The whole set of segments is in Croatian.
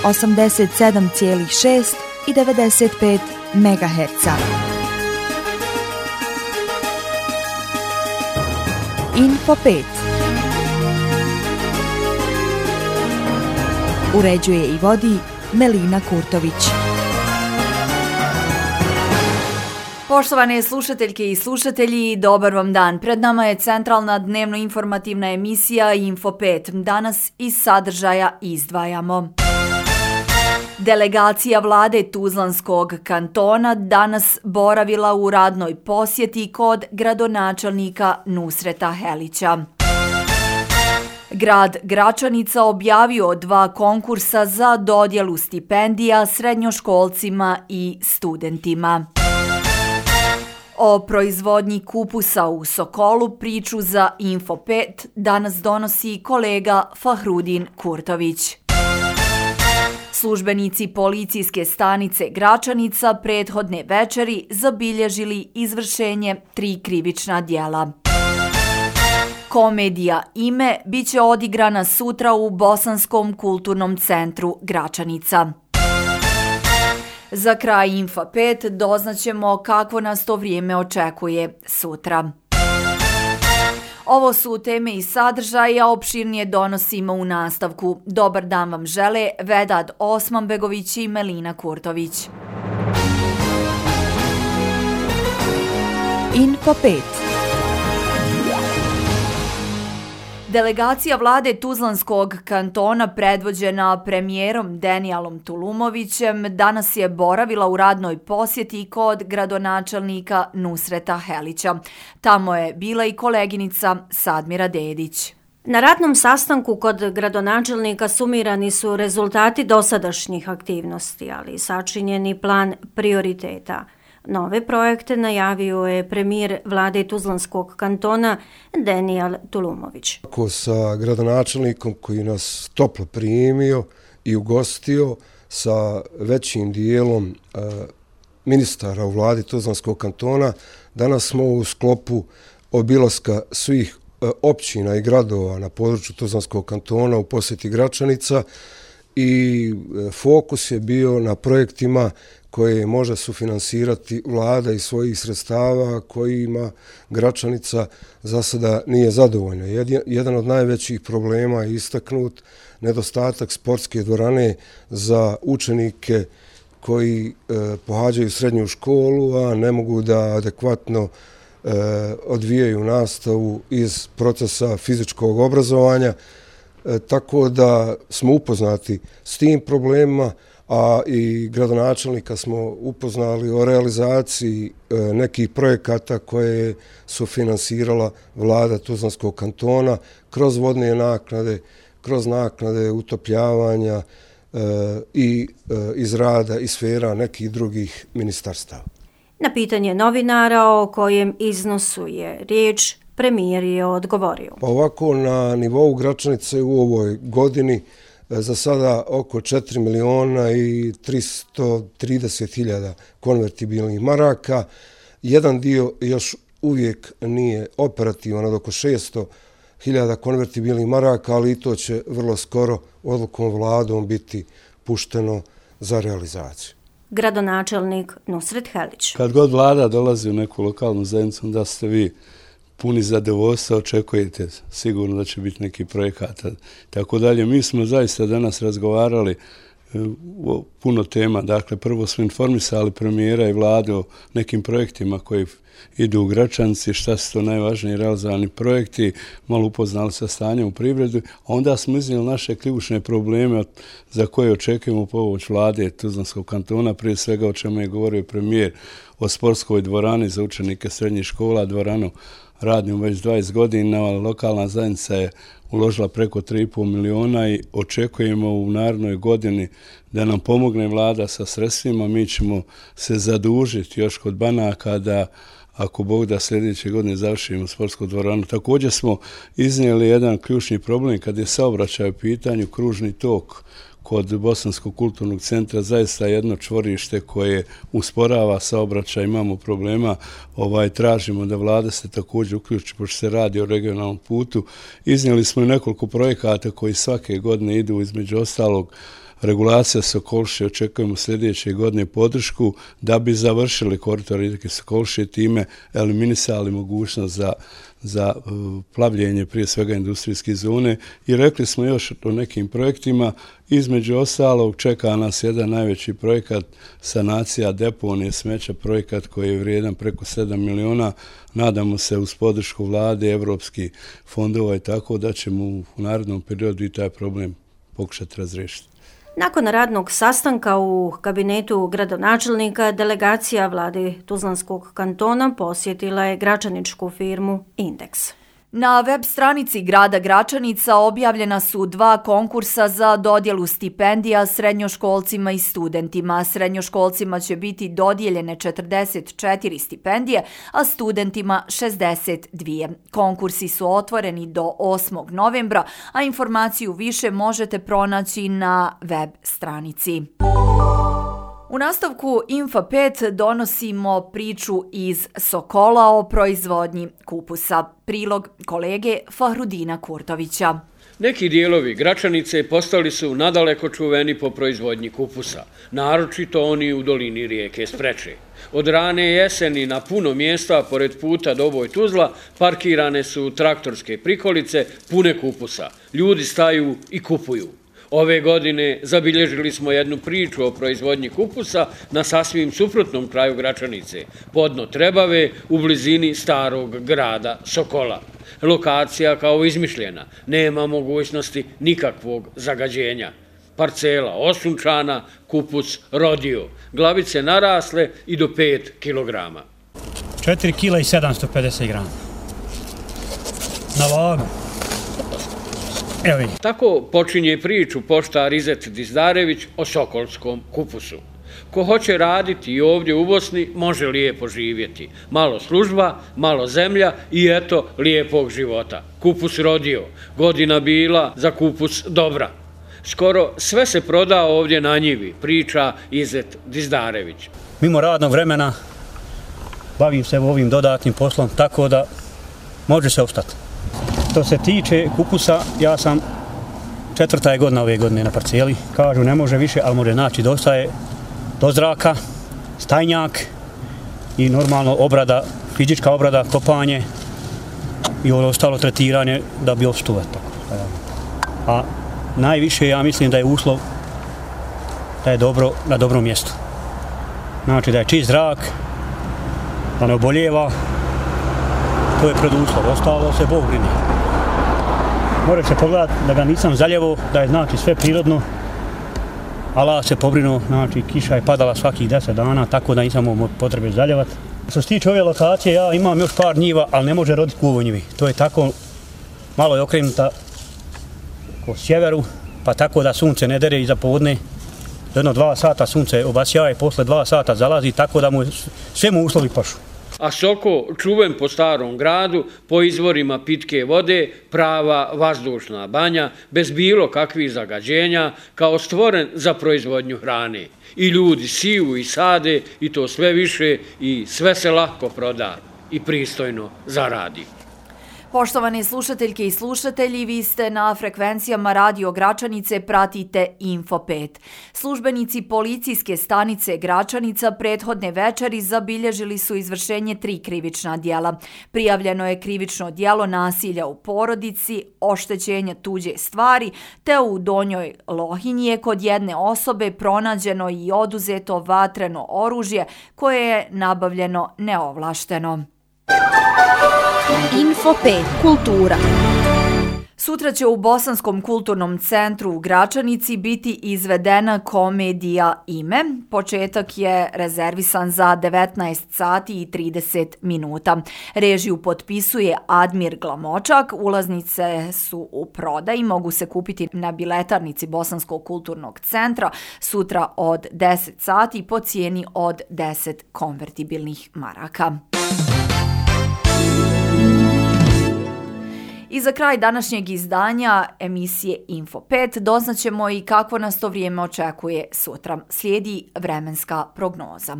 87,6 i 95 MHz. Info 5. Uređuje i vodi Melina Kurtović. Poštovane slušateljke i slušatelji, dobar vam dan. Pred nama je centralna dnevno-informativna emisija Info 5. Danas iz sadržaja izdvajamo. Delegacija vlade Tuzlanskog kantona danas boravila u radnoj posjeti kod gradonačelnika Nusreta Helića. Grad Gračanica objavio 2 konkursa za dodjelu stipendija srednjoškolcima i studentima. O proizvodnji kupusa u Sokolu priču za Info 5 danas donosi kolega Fahrudin Kurtović. Službenici policijske stanice Gračanica prethodne večeri zabilježili izvršenje 3 krivična djela. Komedija Ime biće odigrana sutra u Bosanskom kulturnom centru Gračanica. Za kraj Info 5 doznaćemo kakvo nas to vrijeme očekuje sutra. Ovo su teme i sadržaja, opširnije donosimo u nastavku. Dobar dan vam žele Vedad Osmanbegović i Melina Kurtović. Info 5. Delegacija vlade Tuzlanskog kantona predvođena premijerom Denijalom Tulumovićem danas je boravila u radnoj posjeti kod gradonačelnika Nusreta Helića. Tamo je bila i koleginica Sadmira Dedić. Na radnom sastanku kod gradonačelnika sumirani su rezultati dosadašnjih aktivnosti, ali i sačinjeni plan prioriteta. Nove projekte najavio je premijer vlade Tuzlanskog kantona Denijal Tulumović. Sa gradonačelnikom koji nas toplo primio i ugostio, sa većim dijelom ministara u vladi Tuzlanskog kantona, danas smo u sklopu obilaska svih općina i gradova na području Tuzlanskog kantona u posjeti Gračanica i fokus je bio na projektima koje može sufinansirati vlada iz svojih sredstava kojima Gračanica za sada nije zadovoljna. Jedan od najvećih problema je istaknut nedostatak sportske dvorane za učenike koji pohađaju srednju školu, a ne mogu da adekvatno odvijaju nastavu iz procesa fizičkog obrazovanja. Tako da smo upoznati s tim problemima, a i gradonačelnika smo upoznali o realizaciji nekih projekata koje su finansirala vlada Tuzlanskog kantona kroz vodne naknade, kroz naknade utopljavanja i iz rada i sfera nekih drugih ministarstava. Na pitanje novinara o kojem iznosu je riječ, premijer je odgovorio. Pa ovako, na nivou Gračanice u ovoj godini za sada oko 4 miliona i 330 hiljada konvertibilnih maraka. Jedan dio još uvijek nije operativan, od oko 600 hiljada konvertibilnih maraka, ali i to će vrlo skoro odlukom vladom biti pušteno za realizaciju. Gradonačelnik Nusret Helić. Kad god vlada dolazi u neku lokalnu zajednicu, da ste vi puni zadovoljstva, očekujete sigurno da će biti neki projekata. Tako dalje, mi smo zaista danas razgovarali o puno tema. Dakle, prvo smo informisali premijera i vlade o nekim projektima koji idu u Gračanici, šta su to najvažniji realizovani projekti, malo upoznali sa stanjem u privredu, a onda smo iznijeli naše ključne probleme za koje očekujemo pomoć vlade Tuzlanskog kantona, prije svega o čemu je govorio premijer, o sportskoj dvorani za učenike srednjih škola, dvoranu radnju već 20 godina, lokalna zajednica je uložila preko 3,5 miliona i očekujemo u narednoj godini da nam pomogne vlada sa sredstvima. Mi ćemo se zadužiti još kod banaka da, ako Bog da, sljedeće godine završimo sportsku dvoranu. Također smo iznijeli jedan ključni problem kad je saobraćaj u pitanju, kružni tok kod Bosanskog kulturnog centra, zaista jedno čvorište koje usporava saobraćaj, imamo problema, tražimo da vlada se također uključi, pošto se radi o regionalnom putu. Iznijeli smo i nekoliko projekata koji svake godine idu, između ostalog regulacija Sokoliše, očekujemo sljedeće godine podršku da bi završili koridor rijeke Sokoliše, time eliminisali mogućnost za plavljenje prije svega industrijske zone i rekli smo još o nekim projektima. Između ostalog čeka nas jedan najveći projekat sanacija deponije smeća, projekat koji je vrijedan preko 7 miliona. Nadamo se uz podršku vlade, evropskih fondova i tako da ćemo u narednom periodu i taj problem pokušati razriješiti. Nakon radnog sastanka u kabinetu gradonačelnika, delegacija vlade Tuzlanskog kantona posjetila je gračaničku firmu Indeks. Na web stranici grada Gračanica objavljena su 2 konkursa za dodjelu stipendija srednjoškolcima i studentima. Srednjoškolcima će biti dodijeljene 44 stipendije, a studentima 62. Konkursi su otvoreni do 8. novembra, a informaciju više možete pronaći na web stranici. U nastavku Info 5 donosimo priču iz Sokola o proizvodnji kupusa. Prilog kolege Fahrudina Kurtovića. Neki dijelovi Gračanice postali su nadaleko čuveni po proizvodnji kupusa, naročito oni u dolini rijeke Spreče. Od rane jeseni na puno mjesta pored puta Doboj Tuzla parkirane su traktorske prikolice pune kupusa. Ljudi staju i kupuju. Ove godine zabilježili smo jednu priču o proizvodnji kupusa na sasvim suprotnom kraju Gračanice, podno Trebave u blizini starog grada Sokola. Lokacija kao izmišljena, nema mogućnosti nikakvog zagađenja. Parcela osunčana, kupus rodio, glavice narasle i do 5 kilograma. 4 kila i 750 grama. Na vagu. Tako počinje priču poštar Izet Dizdarević o sokolskom kupusu. Ko hoće raditi i ovdje u Bosni, može lijepo živjeti. Malo služba, malo zemlja i eto lijepog života. Kupus rodio, godina bila za kupus dobra. Skoro sve se proda ovdje na njivi, priča Izet Dizdarević. Mimo radnog vremena bavim se ovim dodatnim poslom, tako da može se ostati. Što se tiče kupusa, ja sam 4. godina ove godine na parceli. Kažu ne može više, ali može naći dosta je do zraka, stajnjak i normalno obrada, fizička obrada, kopanje i ostalo tretiranje da bi opstuo. A najviše ja mislim da je uslov da je dobro na dobrom mjestu. Znači da je čist zrak, da ne oboljeva, to je preduslov, ostalo se Bog brini. Može se pogledati da ga nisam zaljevo, da je znači sve prirodno. Allah se pobrinuo, znači kiša je padala svakih 10 dana, tako da nisam imao potrebe zaljevati. Što se tiče ove lokacije, ja imam još par njiva, ali ne može roditi u ovoj njivi. To je tako, malo je okrenuta po sjeveru, pa tako da sunce ne dere iza podne. Jedno 2 sata sunce obasjava i posle 2 sata zalazi, tako da sve mu uslovi pašu. A Soko, čuven po starom gradu, po izvorima pitke vode, prava vazdušna banja, bez bilo kakvih zagađenja, kao stvoren za proizvodnju hrane. I ljudi siju i sade i to sve više i sve se lako proda i pristojno zaradi. Poštovane slušateljke i slušatelji, vi ste na frekvencijama Radio Gračanice, pratite Info 5. Službenici policijske stanice Gračanica prethodne večeri zabilježili su izvršenje 3 krivična djela. Prijavljeno je krivično djelo nasilja u porodici, oštećenja tuđe stvari, te u Donjoj Lohinji je kod jedne osobe pronađeno i oduzeto vatreno oružje koje je nabavljeno neovlašteno. Info 5. Kultura. Sutra će u Bosanskom kulturnom centru u Gračanici biti izvedena komedija Ime. Početak je rezervisan za 19 sati i 30 minuta. Režiju potpisuje Admir Glamočak. Ulaznice su u prodaji, mogu se kupiti na biletarnici Bosanskog kulturnog centra sutra od 10 sati po cijeni od 10 konvertibilnih maraka. I za kraj današnjeg izdanja emisije Info 5 doznaćemo i kako nas to vrijeme očekuje sutra. Slijedi vremenska prognoza.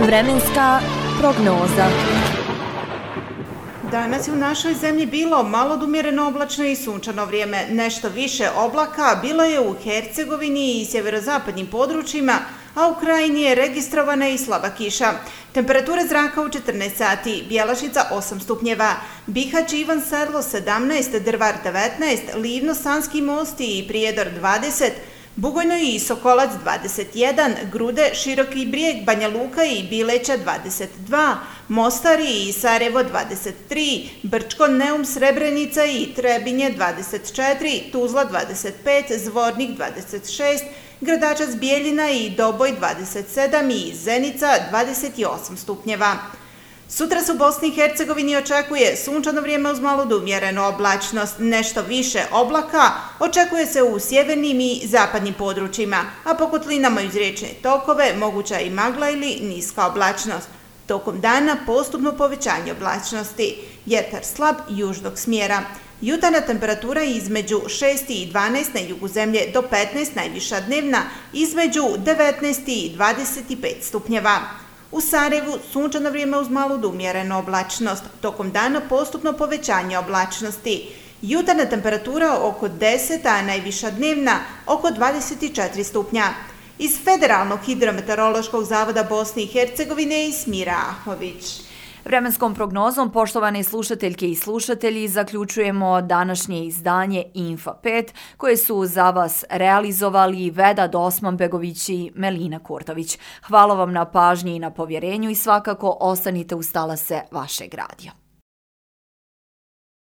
Vremenska prognoza. Danas je u našoj zemlji bilo malo odumjereno oblačno i sunčano vrijeme. Nešto više oblaka bilo je u Hercegovini i sjeverozapadnim područjima, a u krajini je registrovana i slaba kiša. Temperatura zraka u 14 sati, Bjelašnica 8 stupnjeva, Bihać i Ivan Sedlo 17, Drvar 19, Livno, Sanski Most i Prijedor 20, Bugojno i Sokolac 21, Grude, Široki Brijeg, Banja Luka i Bileća 22, Mostar i Sarajevo 23, Brčko, Neum, Srebrenica i Trebinje 24, Tuzla 25, Zvornik 26, Gradačac, Bijeljina i Doboj 27 i Zenica 28 stupnjeva. Sutra se u Bosni i Hercegovini očekuje sunčano vrijeme uz malu do umjerenu oblačnost, nešto više oblaka očekuje se u sjevernim i zapadnim područjima, a po kotlinama uz riječne tokove moguća i magla ili niska oblačnost. Tokom dana postupno povećanje oblačnosti, vjetar slab južnog smjera. Jutarnja temperatura između 6 i 12 na jugu zemlje do 15, najviša dnevna između 19 i 25 stupnjeva. U Sarajevu sunčano vrijeme uz malu do umjerenu oblačnost, tokom dana postupno povećanje oblačnosti. Jutarnja temperatura oko 10, a najviša dnevna oko 24 stupnja. Iz Federalnog hidrometeorološkog zavoda Bosne i Hercegovine Ismira Ahović. Vremenskom prognozom, poštovane slušateljke i slušatelji, zaključujemo današnje izdanje Info 5, koje su za vas realizovali Vedad Osmanbegović i Melina Kurtović. Hvala vam na pažnji i na povjerenju i svakako ostanite uz talase vašeg radija.